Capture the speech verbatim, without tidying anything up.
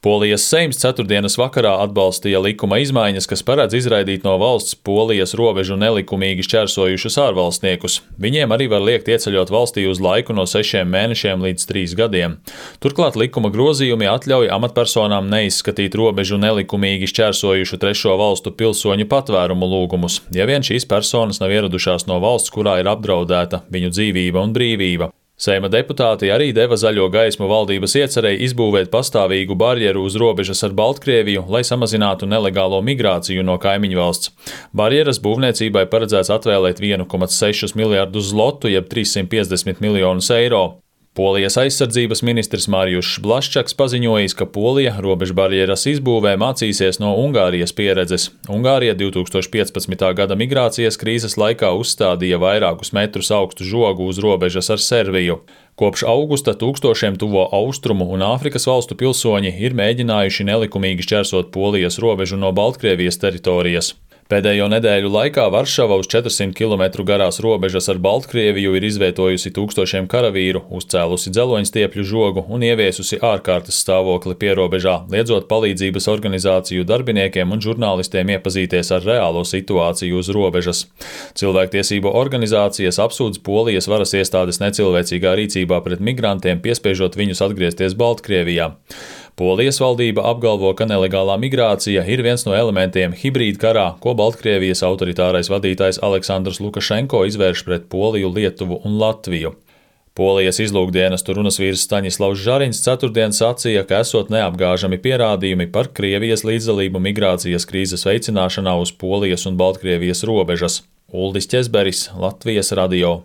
Polijas Seims ceturtdienas vakarā atbalstīja likuma izmaiņas, kas paredz izraidīt no valsts Polijas robežu nelikumīgi šķērsojušus ārvalstniekus. Viņiem arī var liekt ieceļot valstī uz laiku no sešiem mēnešiem līdz trīs gadiem. Turklāt likuma grozījumi atļauj amatpersonām neizskatīt robežu nelikumīgi šķērsojušu trešo valstu pilsoņu patvērumu lūgumus, ja vien šīs personas nav ieradušās no valsts, kurā ir apdraudēta viņu dzīvība un brīvība. Seima deputāti arī deva zaļo gaismu valdības iecerei izbūvēt pastāvīgu barjeru uz robežas ar Baltkrieviju, lai samazinātu nelegālo migrāciju no kaimiņvalsts. Barjeras būvniecībai paredzēts atvēlēt vienu komats sešus miljardus zlotu, jeb trīssimt piecdesmit miljonus eiro. Polijas aizsardzības ministrs Marijus Blaščaks paziņojis, ka Polija robežbarjeras izbūvē mācīsies no Ungārijas pieredzes. Ungārija divi tūkstoši piecpadsmitā gada migrācijas krīzes laikā uzstādīja vairākus metrus augstu žogu uz robežas ar Serviju. Kopš augusta tūkstošiem tuvo austrumu un Āfrikas valstu pilsoņi ir mēģinājuši nelikumīgi šķērsot Polijas robežu no Baltkrievijas teritorijas. Pēdējo nedēļu laikā Varšava uz četrsimt kilometru garās robežas ar Baltkrieviju ir izvietojusi tūkstošiem karavīru, uzcēlusi dzeloņstiepļu žogu un ieviesusi ārkārtas stāvokli pierobežā, liedzot palīdzības organizāciju darbiniekiem un žurnālistiem iepazīties ar reālo situāciju uz robežas. Cilvēktiesību organizācijas apsūdz Polijas varas iestādes necilvēcīgā rīcībā pret migrantiem, piespiežot viņus atgriezties Baltkrievijā. Polijas valdība apgalvo, ka nelegālā migrācija ir viens no elementiem hibrīda karā, ko Baltkrievijas autoritārais vadītājs Aleksandrs Lukašenko izvērš pret Poliju, Lietuvu un Latviju. Polijas izlūkdienestu runasvīrs Staņislavs Žariņš ceturtdien sacīja, ka esot neapgāžami pierādījumi par Krievijas līdzdalību migrācijas krīzes veicināšanā uz Polijas un Baltkrievijas robežas. Uldis Ķezberis, Latvijas radio.